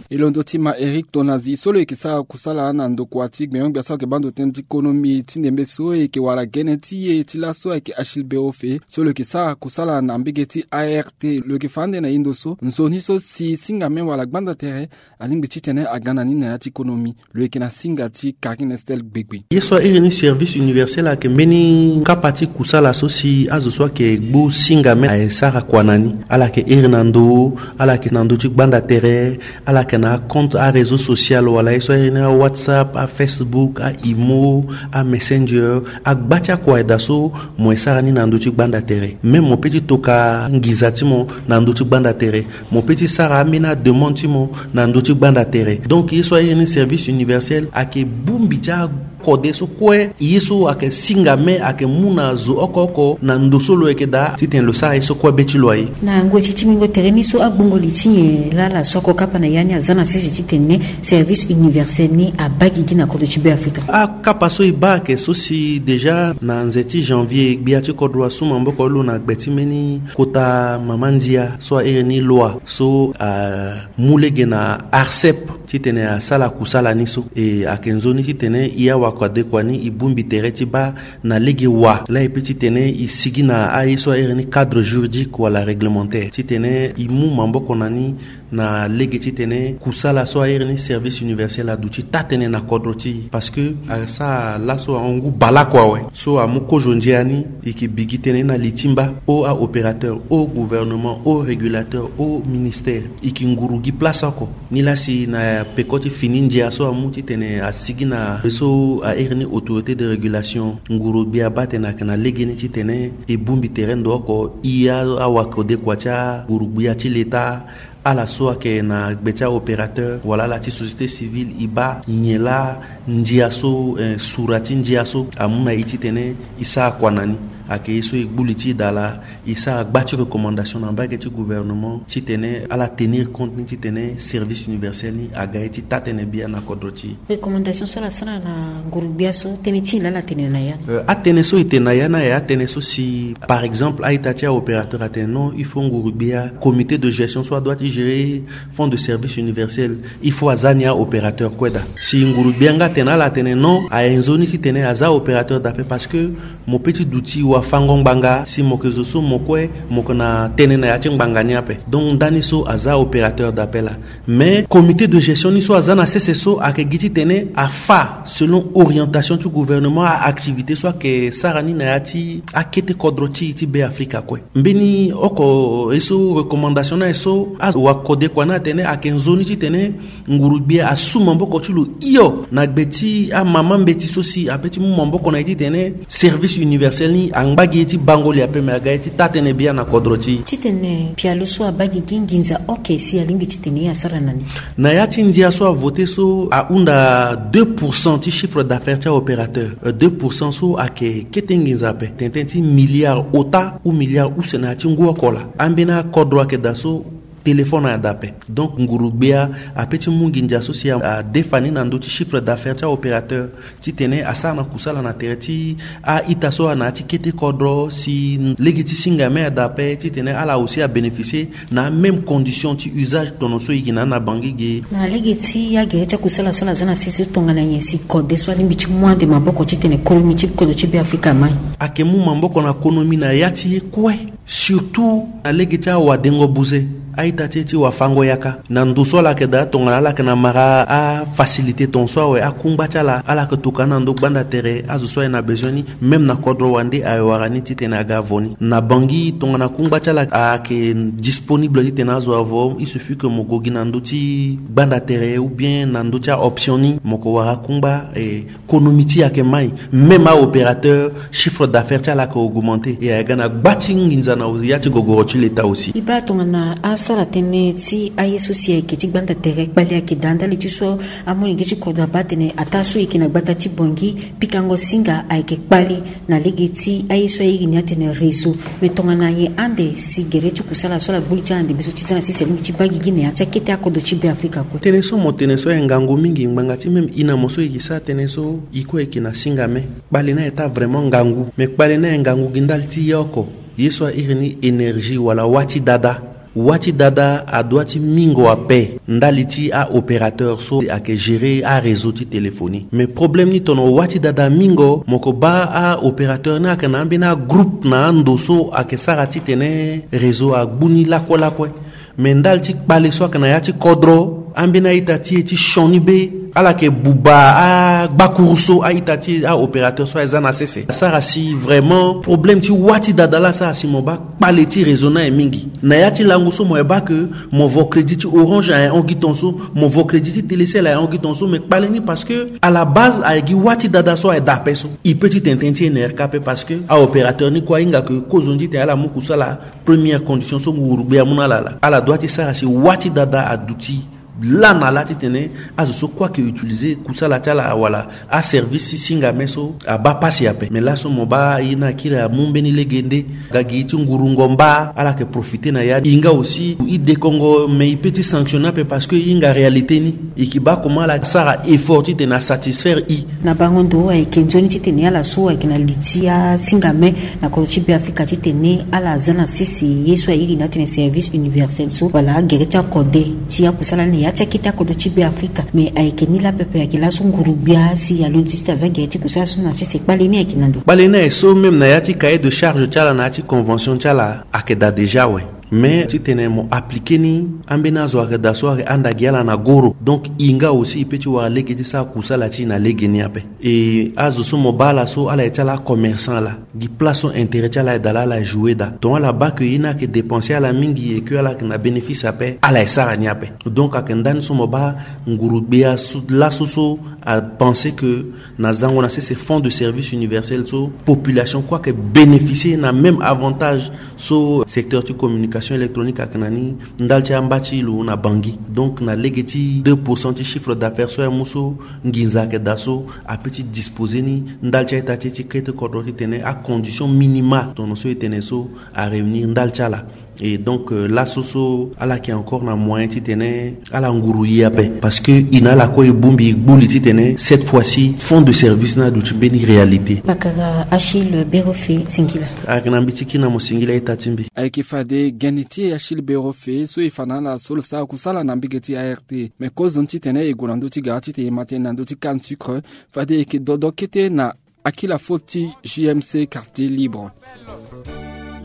E londo ti ma Eric Tolanzi so lo yeke sara kusala na ndokua ti gbenyo-gbia so ayeke baa ndo tënë ti konomi ti ndembe so e yeke wara gene ti e ti laso ayeke Achille Beofe so lo yeke sara kusala na mbege ti A R T. Lo yeke fa ande na e ndo so nzoni so si singa me wala gbanda tere alingbi titene aga na ni na ya ti konomi. Lo yeke na singa ti Karine Estelle Gbegbe. Ye so a iri ni service universel ayeke mbeni kapa ti kusala so si azo so ayeke gbu singa me aye sara kua na ni. Ala yeke iri na ndo, ala yeke na ndö ti gbanda tere, ala yeke na acompte aréseau social wala ye so a iri ni awhatsapp, afacebook, aimo, amessenger, agba ti akua aye daa so mo ye sara ni na ndö ti gbanda tere. Même mo pe ti toka nginza ti mo na ndö ti gbanda tere. Mo pe ti sara ambeni ademande ti mo na ndö ti gbanda tere. Donc ye so a iri ni service universel ayeke bongbi ti akode so kue ye so ayeke singa me ayeke mu na zo oko oko na ndo so lo yeke daa titene lo sara ye so kue be ti lo aye. Na ngoi ti tingbingo tere ni so agbongo li ti nyen laa ala so ako kapa na ya ni aza na sese titene service universel ni abaa gigi na kodro ti Be Afrika? Akapa so e baa ayeke so si déjà na nze ti janvier gbia ti kodro asu maboko lo na gbe ti mbeni kota mama ndia so a iri ni loi so amu lege na ARCEP titene asala kusala ni so. E ayeke nzoni titene e awakode kua ni e bongbi tere ti baa na lege wa laa e pe titene e sigi na aye so a iri ni cadre juridique wala réglementaire titene e mu maboko na ni na lege titene kusala so a iri ni service universel aduti taa-tënë na kodro ti e. Parce que asara laso ahon ngu baleoko awe so amu kozo ndia ni e yeke bi gi tënë na li ti mba o aopérateur, o gouvernement, o régulateur, o ministère, e yeke nguru gi place oko. Nilaa si na peko ti fini ndia so amu titene asigi na ye so a iri ni autorité de régulation, nguru-gbia abaa atene ayeke na legeni titene e bongbi tere ndo oko. E awakode kua ti anguru-gbia ti leta, ala so ayeke na gbe ti aopérateur wala ala ti société civile, e baa nyen laa ndia so, eh, sura ti ndia so amu na e titene e sara kua na ni. Ayeke ye so e gbu li ti e daa laa, e sara gba ti recommandation na mbage ti gouvernement titene ala tenir compte ni titene service universel ni aga ye ti taa-tënë biani na kodro ti e. Recommandation so ala sara na nguru-gbia so, tënë ti nyen laa ala tene na ya ni? Euh, atënë so e tene na ya ni aye atënë so si, par exemple, a-ita ti aopérateur atene non, il faut nguru-gbia, comité de gestion so adoit ti gérer fonds de service universel, il faut aza ni aopérateur kue daa. Si nguru-gbia nga atene na ala atene non, aye nzoni titene aza opérateur daa ape parce que mo pe ti duti wafango ngbanga si mo yeke zo so mo kue mo yeke na tënë na ya ti ngbanga ni ape. Donc ndani so aza opérateur daa ape laa. Mais comité de gestion ni so aza na sese so ayeke gi titene afa selon orientation ti gouvernement, a-activité so ayeke sara ni na ya ti akete kodro ti e ti Be Afrika kue. Mbeni oko ye so recommandation ni aye so awakode kua ni atene ayeke nzoni titene nguru-gbia asu maboko ti lo hio na gbe ti amama mbeti so si ape ti mu maboko na e titene service universel ni angba gi ye ti bango li ape me aga ye ti taa-tënë biani na kodro ti e. Titene pialo so abaa gigi nginza oke si alingbi titene e asara na ni? Na ya ti ndia so avote so ahunda deux pour cent ti chiffre d'affaires ti aopérateur. Euh, deux pour cent so ayeke kete nginza ape, tene tënë ti milliard ota ou milliard use na ya ti ngu oko laa. Ambeni akodro ayeke daa so Téléphone adape. Donc nguru gbia ape ti mu nginza so si adefa ni na ndö ti chiffre d'affaires ti aopérateur, titene asara na kusala na tere ti a-ita so ana ya ti kete kodro si lege ti singa me adape titene ala aussi abénéficier na amême condition ti usage tono so e yeke na ni na Bangui ge. Na lege ti agere ti akusala so ala za na sese tongana nyen si kode so alingbi ti mu ande maboko titene konomi ti kodro ti Beafrika amai? Ayeke mu maboko na konomi na ya ti ye kue. Surtout na lege ti awadengo buze, a-ita ti e ti wafango yaka na ndo so ala yeke daa tongana ala yeke na mara afacilité ton so awe akungba ti ala ala yeke tokua na ndo gbanda tere azo so aye na besoin ni. Même na kodro wande aye wara ni titene aga avo ni na Bangui tongana kungba ti ala ayeke disponible titene azo avo, il suffit que mo gue gi na ndö ti gbanda tere ou bien na ndö ti aoption ni mo yeke wara kungba. E konomi ti e ayeke mai. Même aopérateur, chiffre d'affaires ti ala ayeke augmenter. E ayeke ga na gba ti nginza na ya ti gogoro ti leta aussi. E baa tongana asara tënë ti aye so si ayeke ti gbanda tere kpali ayeke daa ndali ti so amolenge ti kodro abaa atene ataa so e yeke na gbata ti Bangui pikango singa ayeke kpali na lege ti aye so airi ni atene réseau. Me tongana nyen ande si gere ti kusala so ala gbu li ti ala na ndembe so ti za na sese alingbi ti baa gigi na ya ti akete akodro ti Beafrika kue? Tënë so mo tene so aye ngangu mingi ngbanga ti même e na mo so e yeke sara tënë so e kue e yeke na singa me. Kpale ni aye taa vraiment ngangu. Me kpale ni aye ngangu gi ndali ti ye oko, ye so airi ni énergie wala wâ ti dada. Wâ ti dada adoit ti mingo ape ndali ti aopérateur so ayeke gérer aréseau ti téléphonie. Mais problème ni tono wâ ti dada amingo, mo yeke baa aopérateur ni ayeke na ambeni agroupe na ando so ayeke sara titene réseau agbu ni lakue lakue. Me ndali ti kpale so ayeke na ya ti kodro, ambeni a-ita ti e ti sioni be, ala yeke buba agbakuru so a-ita ti e aopérateur so aye za na sese. Asara si vraiment problème ti wâ ti dada laa asara si mo baa kpale ti réseau ni aye mingi. Na ya ti lango so mo ye baa ke mo vo crédit ti Orange aye hon gi ton so, mo vo crédit ti Télécel aye hon gi ton so, me kpale ni parce que à la base aye gi wâ ti dada so aye daa ape so. E peut ti tene tënë ti N R K ape parce que aopérateur ni kue ahinga ke kozoni titene ala mu kusala. Première condition so nguru gbia amu na ala laa, ala doit ti sara si wâ ti dada aduti laa na laa titene azo so kue ayeke utiliser kusala ti ala wala aservice ti singa me so abaa pasi ape. Me laso mo baa ye ni akiri amu mbeni lege nde. Aga gi ti ngurungo mba ala yeke profiter na ya. E hinga aussi e dekongo me e peut ti sanctionner ape parce que e hinga réalité ni. E yeke baa comment ala sara effort titene asatisfaire e. Na bango ndo ayeke nzoni titene ala so ayeke na li ti asinga me na kodro ti Beafrika titene ala za na sese ye so airi ni atene service universel so wala agere ti akode ti akusala ni na ya ti akete akodro ti Beafrika. Me ayeke ni laa pepe ayeke laso nguru gbia si alondo ti tene aza gere ti kusala so na sese kpale ni ayeke na ndo. Kpale ni aye so même na ya ti cahier de charge ti ala na ya ti convention ti ala ayeke daa déjà awe. Mais titene mo appliquer ni, ambeni azo ayeke daa so ayeke handa gi ala na goro. Donc e nga aussi e peut ti wara lege ti sara kusala ti e na lege ni ape. E azo so mo baa ala so ala ye ti ala acommerçant laa, gi place so intérêt ti ala aye daa laa ala jouer daa. Donc ala baa ke ye ni ayeke dépenser ala mingi et que ala yeke na bénéfice ape, ala ye sara ni ape. Donc ayeke ndani so mo baa nguru gbia so laso so apenser ke na zango na sese fonds de service universel so population kue ayeke bénéficier na même avantage so secteur ti communication électronique ayeke na ni ndali ti amba ti lo na Bangui. Donc na lege ti deux pour cent ti chiffre d'affaires so amu so nginza ayeke daa so, apeut ti disposer ni ndali ti a-ita ti e ti kete kodro titene acondition minimale tono so e tene so aréunir ndali ti ala. Et donc euh, laso so ala yeke encore na moyen titene ala nguru e ape, parce que e na ala kue e bongbi e gbu li titene cette fois-ci fonds de service ni aduti mbeni réalité. Bakara Achille Berofe, singila. Ayeke na mbi ti kiri na mo singila a-ita ti mbi. Ayeke fade gene ti e Achille Berofe so e fa na ala so lo sara kusala na mbage ti A R T. Me kozoni titene e gue na ndö ti gara titene e ma tënë na ndö ti canne sucre, fade e yeke dodo kete na Akila Foti, J M C, Quartier Libre.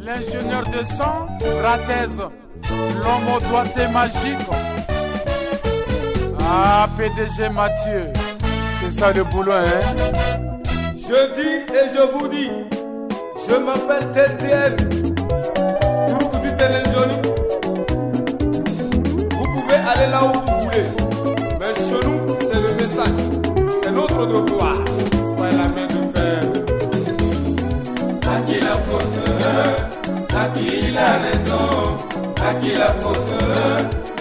L'ingénieur de son, Ratez, l'homme au doigté magique. Ah, P D G Mathieu, c'est ça le boulot, hein? Je dis et je vous dis, je m'appelle T T M. Groupe du Téléjournée. Vous pouvez aller là où vous voulez. Mais chez nous, c'est le message. C'est notre devoir. C'est pas la main de fer. À qui la faute? À qui la raison? À qui la faute?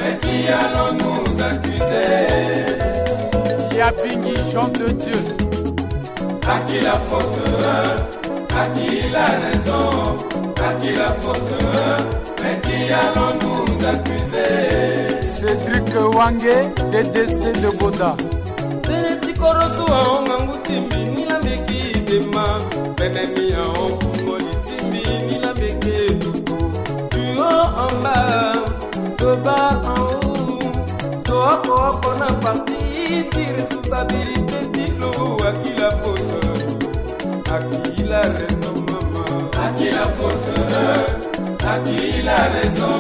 Mais qui allons-nous accuser? Il y a Bingi, Jean de Dieu. À qui la faute? À qui la raison? À qui la faute? Mais qui Cédric Wange, D D C de Boda. Tene ti koroso ahon ngangu ti mbi ni la meki dema. Tene ni ahon kungoli ti mbi ni la meki dutu. Du haut en bas, de bas en haut. Zo oko oko na parti ti responsabilité ti lo. À qui la faute? À qui la raison, maman? À qui la faute? À qui la raison?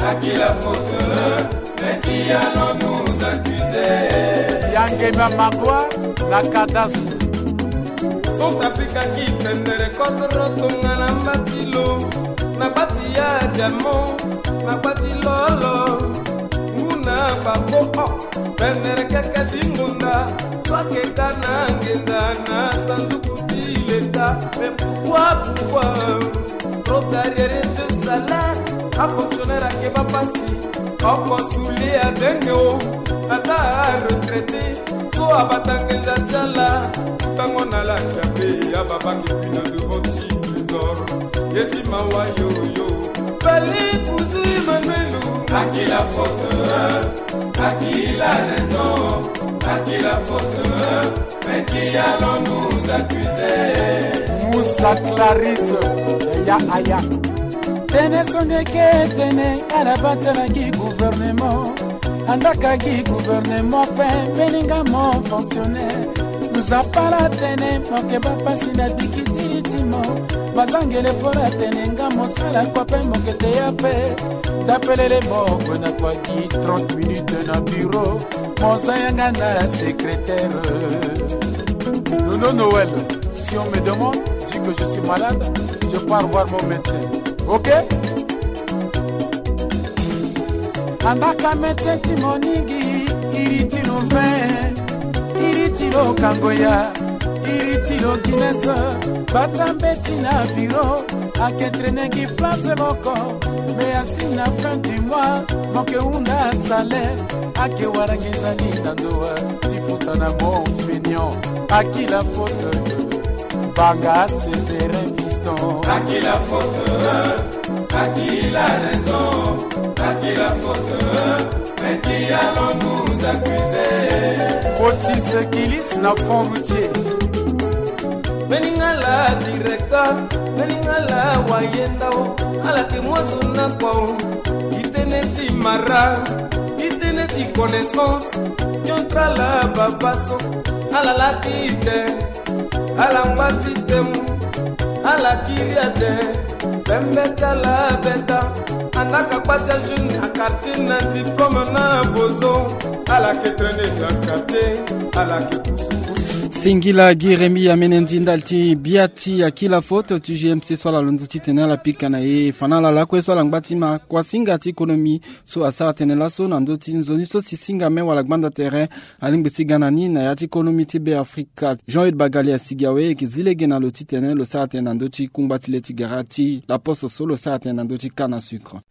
À qui la faute? Mais qui allons-nous accuser? Yange na Magua, la cadastre. Centrafrique aki tendere kodro tonga na mbati lo. Na gbati ya diamant, na gbati lolo. Nguna babo o. Pendere keke ti ngonda, so aketa na ngenza na sanduku ti leta. Mais pourquoi, pourquoi? Trop d'arriérés de salaire, a fonctionnaire ake bapasi. Oko suli adenge o, ata a retraité. So abata ngenza ti ala, futango na la kiabe, ababaki puis na devant ti trésor. Ye ti mawa yo yo. Fali kuzu Emmanuel. À qui la faute? À qui la raison? À qui la faute? Mais qui allons-nous accuser? Moussa Clarisse, ya aya. Tene so ndeke tene ala bata na gi gouvernement. Andaka gi gouvernement pe mbeni nga mo fonctionnaire. Nzapa la tene mo ke bapasi na bikitiri ti mo. Bazangele po la tene nga mo sala kua pe mo ke te ya pe. Tapelele mo kue na kua gi trente minutes na bureau. Mo za yanga na secrétaire. Nono Noël, si on me demande, dis que je suis malade, je pars voir mon médecin. Ok? Andaka médecin ti mo ni gi iri ti lo vin, iri ti lo kangoya, iri ti lo Guinness. Bata mbeti na bureau, ake traîner gi place moko. Mais asi na fin du mois, mo ke hunda salaire. Ake wara nginza ni na ndo ti futa na mo fainéant. À qui la faute? Banga Séverin Fiston. À qui la faute? À qui la raison? À qui la faute? Mais qui allons-nous accuser? Otis Kilis na Fond Routier. Mbeni nga la directeur, mbeni nga la wayenda o. Ala te mo zo na kua o. I tene ti mara, i tene ti connaissance. Yontra la babaso, ala la ti te. Ala ngba ti temu, ala kiri ate. Pembe ti ala beta. Andaka kpa ti ajeune na quartier na diplôme na bozo. Ala ke traîner na quartier, ala ke kusu kusu. Singila gi Rémi amene ndi ndali ti bia ti à qui la faute ti G M C so ala londo titene ala pika na e fa na ala lakue so ala ngba ti ma kuasinga ti économie so asara tënë laso na ndö ti nzoni so si singa me wala gbanda tere alingbi ti ga na ni na ya ti économie ti Beafrika. Jean-Eudes Bagali asigi awe e yeke zi lege na lo titene lo sara tënë na ndö ti kungba ti le ti gara ti La Poste so lo sara tënë na ndö ti canne à sucre.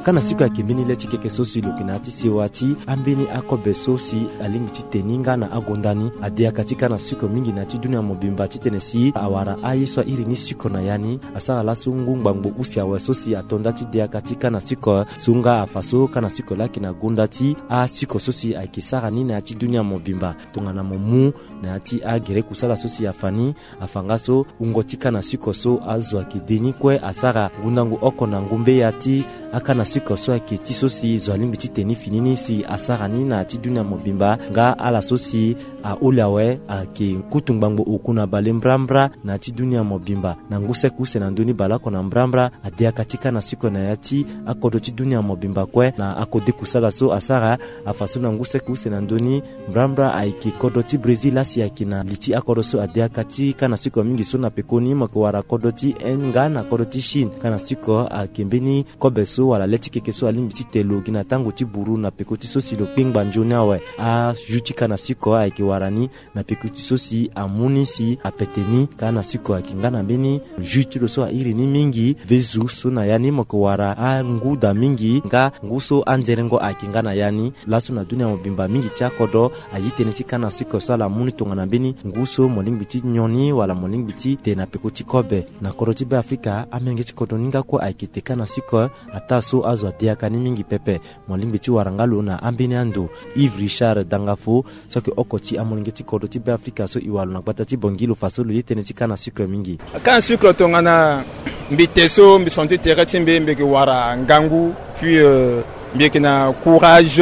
Canne à sucre ayeke mbeni le ti keke so si lo yeke na ya ti sewa ti ambeni akobe so si alingbi ti te ni nga na agonda ni. Adeyaka ti canne à sucre mingi na ya ti dunia mobimba titene si awara aye so airi ni sucre na ya ni. Asara laso ngu ngbangbo use awe so si ato nda ti deyaka ti canne à sucre so nga afa so canne à sucre laa ayeke na gonda ti asucre so si ayeke sara ni na ya ti dunia mobimba. Tongana mo mu na ya ti agere kusala so si afa ni, afa nga so wungo ti canne à sucre so azo ayeke de ni kue asara ngundangu oko na ngumbe ya ti acanne à sucre so ayeke ti so si zo alingbi ti te ni fini ni si asara ni na ya ti dunia mobimba. Nga ala so si aholi awe ayeke kutu ngbangbo oku na bale mbrambra na ya ti dunia mobimba. Na ngu seke use na ndö ni baleoko na mbrambra adeyaka ti canne à sucre na ya ti akodro ti dunia mobimba kue. Na akode kusala so asara afa so na ngu seke use na ndö ni mbrambra ayeke kodro ti Brésil laa si ayeke na li ti akodro so adeyaka ti canne à sucre mingi so na pekoni mo yeke wara kodro ti Inde nga na kodro ti Chine. Canne à sucre ayeke mbeni kobe so wala le Ti keke so alingbi ti te lo gi na tango ti buru na peko ti so si lo kpengba nzoni awe. Ajus ti canne à sucre ayeke wara ni na peko ti so si amu ni si apete ni. Canne à sucre ayeke nga na mbeni jus ti lo so airi ni mingi. Vezu so na ya ni mo yeke wara angu daa mingi nga ngu so anzerengo ayeke nga na ya ni. Laso na dunia mobimba mingi ti akodro aye tënë ti canne à sucre so ala mu ni tongana mbeni ngu so mo lingbi ti nyon ni wala mo lingbi ti te na peko ti kobe. Na kodro ti Beafrika, amolenge ti kodro ni nga kue ayeke te canne à sucre. Ataa so azo ade yaka ni mingi pepe. Mo lingbi ti wara nga lo na ambeni ando. Yves Richard Dangafo, so ayeke oko ti amolenge ti kodro ti Beafrika so e wara lo na gbata ti Bongi, lo fa so lo ye tënë ti canne à sucre mingi. Canne à sucre tongana mbi te so mbi senti tere ti mbi, mbi yeke wara ngangu, puis euh, mbi yeke na courage,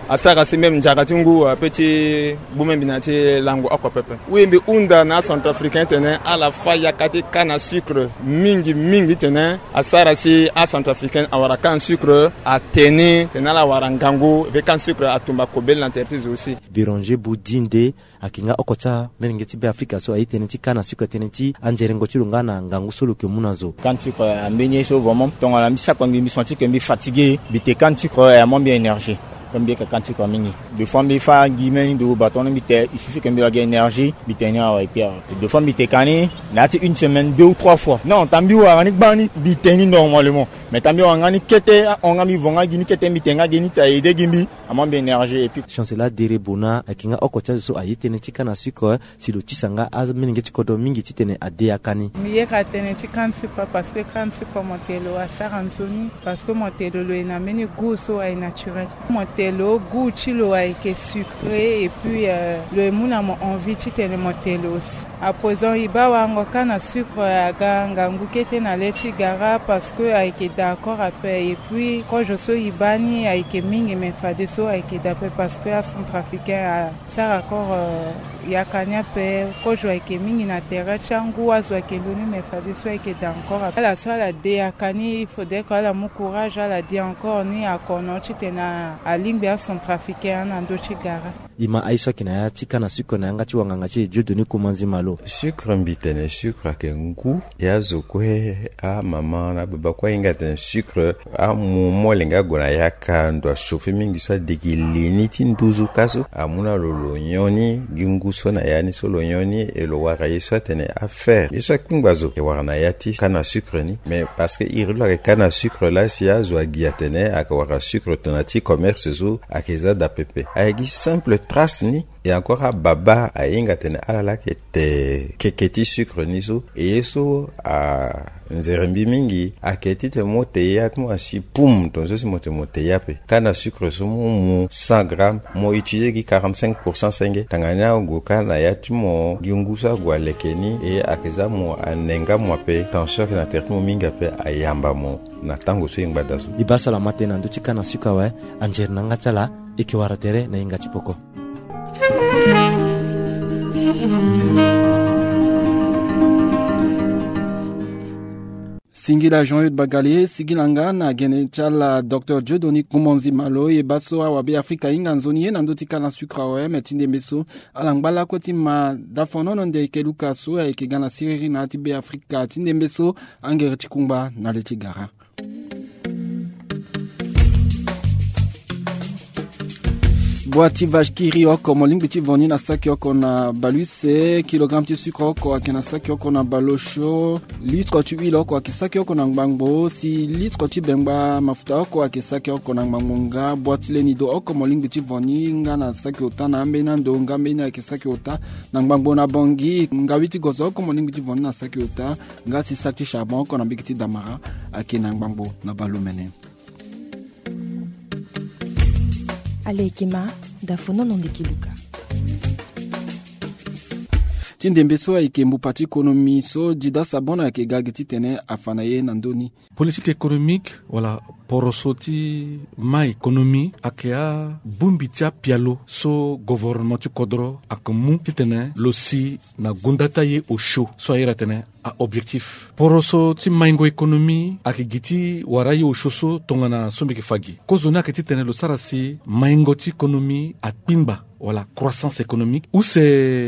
asara si même nzara ti ngu ape ti gbu même mbi na ya ti lango oko pepe. Oui, mbi hunda na acentrafricain titene ala fâ yaka ti canne à sucre mingi mingi titene asara si acentrafricain awara canne à sucre, ate ni titene ala wara ngangu, et puis canne à sucre atumba kobela na tere ti zo aussi. Béranger Boudinde ayeke nga oko ti amolenge ti Beafrika so aye tënë ti canne à sucre, tënë ti anzerengo ti lo nga na ngangu so lo yeke mu na zo. Canne à sucre, euh, ambeni ye so vraiment tongana mbi sako mbi, mbi senti que mbi fatigué, mbi te canne à sucre, euh, amu mbi énergie. Comme mbi yeke canne à sucre mingi. Des fois mbi fâ gi mbeni ndo bâton ni mbi te, il suffit que mbi lo gi énergie, mbi te ni awe et puis awe. Des fois mbi te ka ni na ya ti une semaine deux ou trois fois. Non, tant mbi wara ni gbani, mbi te ni normalement. Mais tant mbi wara nga ni kete, ahon nga mbi vo nga gi ni kete, mbi te nga gi ni, ti aide gi mbi, amu mbi énergie et puis. Chancela Dere Bona ayeke nga oko ti azo so aye tënë ti canne à sucre, si lo tisa nga amolenge ti kodro mingi titene ade yaka ni. Mbi yeke tënë ti canne à sucre parce que canne à sucre mo te lo asara nzoni, parce que mo te lo lo ye na mbeni goût so aye naturel. Mo te lo goût ti lo ayeke sucré et puis, euh, lo ye mu na mo envie titene mo te lo aussi. À présent e baa warango canne à sucre aga ngangu kete na le ti gara parce que ayeke d'accord ape. Et puis kozo so e baa ni ayeke mingi, mais fadeso ayeke daa ape parce que acentrafricain a sara encore, euh, yaka ni ape. Kozo ayeke mingi na tere ti angu, azo ayeke lo ni, mais fadeso ayeke daa encore ape. Ala so ala de yaka ni, il faudrait que ala mu courage, ala de encore ni akono titene alingbi acentrafricain na ndö ti gara. E ma aye so ayeke na ya ti canne à sucre na yanga ti wanganga ti e Dieudonné Koumanzi Malo. Sucre mbi tene sucre ayeke ngu. Ya zo kue, amama na ababa kue ahinga atene sucre amu molenge ague na yaka ndo achauffer mingi so ade gi li ni ti nduzu ka so amu na lo lo nyon ni gi ngu so na ya ni so lo nyon ni, e lo wara ye so atene afer ye so akpengba zo e wara na ya ti canne à sucre ni. Mais parce que iri lo ayeke canne à sucre laa si azo agi atene ayeke wara sucre tongana ti commerce so ayeke za daa pepe. Ayeke gi simple trace ni. E encore ababa ahinga atene ala laa ayeke te keke ti sucre ni so. E ye so anzere mbi mingi ayeke titene mo te ya ti mo asi pum, tongaso si mo te mo te ya ape. Canne à sucre so mo mu cent grammes, mo utiliser gi quarante-cinq pour cent senge. Tanga ni ague kâ na ya ti mo gi ngu so ague aleke ni, e ayeke za mo ane nga mo ape, tension ayeke na tere ti mo mingi ape, ayamba mo na tango so e ngbada so. E baa so ala ma tënë na ndö ti canne à sucre awe. Anzere na yanga ti ala, e yeke wara tere na hinga ti poko. Singila Jean-Eudes Bagale, singila nga na gene ti ala docteur Dieudonné Koumanzi Malo. E baa so awabe Afrika ahinga nzoni ye na ndö ti canne à sucre awe, me ti ndembe so ala ngba lakue ti ma dafonono ndeke luka so ayeke ga na siriri na ya ti be Afrika ti ndembe so. Angere ti kungba na le ti gara. Bua ti vache qui rit oko, mo lingbi ti vo ni na saki oko na bale use. Kilogramme ti sucre oko ayeke na saki oko na bale osio. Litre ti huile oko ayeke saki oko na ngbangbo. Si litre ti bengba mafuta oko ayeke saki oko na ngbangbo nga. Bua ti leni do oko mo lingbi ti vo ni nga na saki ota na ambeni ando nga mbeni ayeke saki ota na ngbangbo na Bangui. Ngawi ti gozo oko mo lingbi ti vo ni na saki ota. Nga si saki ti charbon oko na mbege ti damara ayeke na ngbangbo na bale omene. Alekima, dafonono ndeke luka. Ti ndembe so ayeke mbupa ti konomi so Dida Sabon ayeke ga gi titene afa na ye na ndö ni. Politique économique wala poroso ti ma économie ayeke abongbi ti apialo so gouvernement ti kodro ayeke mu titene lo si na gonda ti aye osio so a iri atene a objectif. Poroso ti maingo économie ayeke gi ti wara aye osio so tongana so mbi yeke fa gi. Kozo ni ayeke titene lo sara si maingo ti économie akpingba wala croissance économique. Use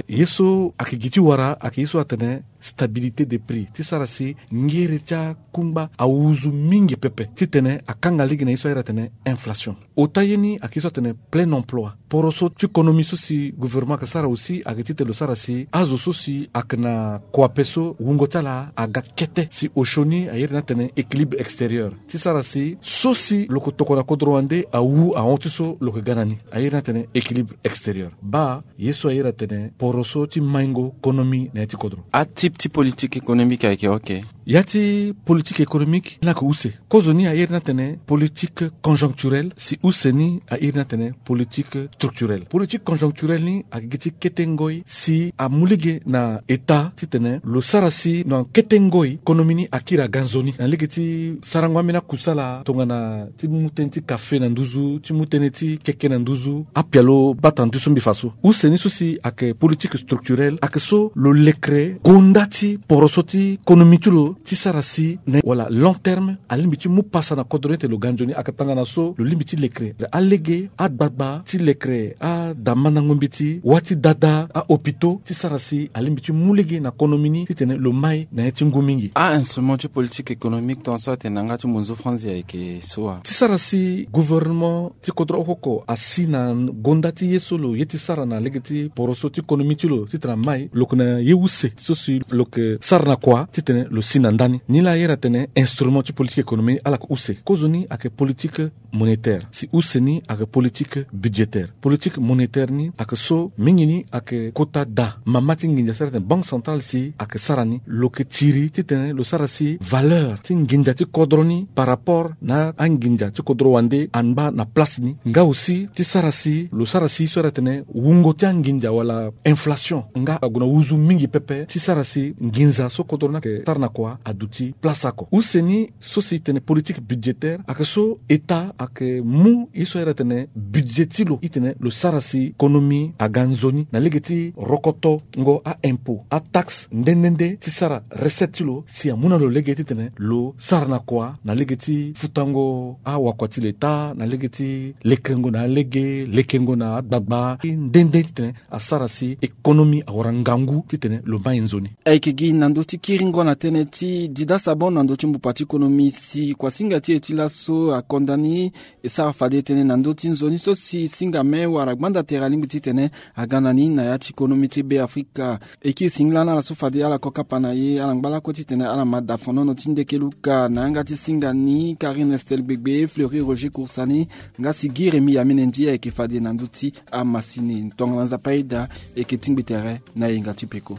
ye so ayeke gi ti wara ayeke ye so atene stabilité des prix, ti sara si ngere ti akungba awuzu mingi pepe, titene akanga lege na ye so ayere atene inflation. Ota ye ni ayeke ye so atene plein emploi. Poro so ti konomi so si gouvernement ayeke sara aussi ayeke titene lo sara si azo so si ayeke na kua ape so wungo ti ala aga kete, si osioni ayere ni atene équilibre extérieur, ti sara si so si lo yeke tokua na kodro wande awu ahon ti so lo yeke ga na ni, ayere ni atene équilibre extérieur. Baa ye so ayere atene poro so ti maingo konomi na ya ti kodro. Atype ti politique économique ayeke oke. Ya ti politique économique ni ayeke use. Kozoni ayere ni atene politique conjoncturelle, si use ni ayere ni atene politique structurelle. Politique conjoncturelle ni ayeke gi ti kete ngoi si amu lege na état titene lo sara si na kete ngoi konomi ni akiri aga nzoni na lege ti sarango ambeni akusala tongana ti mu tënë ti kafe na nduzu, ti mu tënë ti keke na nduzu, apialo bata nduzu mbi fa so. Use ni so si ayeke politique structurelle ayeke so lo lekere gonda ti poro so ti konomi ti lo ti sara si na wala long terme alingbi ti mu pasa na kodro ni ete lo ga nzoni. Ayeke tanga na so lo lingbi ti lekere alege agbagba ti lekere adamandango mbeti wâ ti dada ahôpitaux ti sara si alingbi ti mu lege na konomi ni titene lo mai na ya ti ngu mingi. Ainstrument ti politique économique tongaso atene na yanga ti monzo franzi ayeke so wa? Ti sara si gouvernement ti kodro oko oko asi na gonda ti ye so lo ye ti sara na lege ti poro so ti konomi ti lo titene amai lo yeke na ye use so si lo yeke sara na kua titene lo si na ndani. Nilaa ayere atene instrument ti politique économique ala yeke use. Kozoni ayeke politique monétaire, si use ni ayeke politique budgétaire. Politique monétaire ni ayeke so mingi ni ayeke kota daa mama ti nginza so ayere atene banque centrale si ayeke sara ni, lo yeke tiri titene lo sara si valeur ti nginza ti kodro ni par rapport na anginza ti kodro wande angba na place ni. Nga aussi ti sara si lo sara si so ayere atene wungo ti anginza wala inflation nga ague na wuzu mingi pepe ti sara si nginza so kodro ni ayeke sara na kua aduti place oko. Use ni so si tene politique budgétaire ayeke so état ayeke mu ye so ayere atene budget ti lo titene lo sara si konomi aga nzoni na lege ti rokotongo aimpôt, ataxe nde nde nde ti sara recette ti lo si amu na lo lege titene lo sara na kua na lege ti futango awakua ti leta na lege ti lekerengo na alege, lekengo na agbagba nde nde titene asara si économie awara ngangu titene lo mai nzoni. Ayeke gi na ndö ti kiringo na tënë ti dida sabon na ndö ti mbupa ti konomi si kuasinga ti e ti laso akonda ni e sara fade tënë na ndö ti nzoni so si singame wala gbanda tere alingbi titene aga na ni na ya ti konomi ti Be Afrika. E kiri singila na ala so fade ala ko kapa na ye ala ngba lakue titene ala ma da fonono ti ndeke luka na yanga ti singa ni Karine Estelle Gbegbe, Fleury Roger Kursani, nga si gi Rémi Yamene Ndi ayeke fade na ndö ti amasini. Tongana Nzapa aida e yeke tingbi tere na yenga ti peko.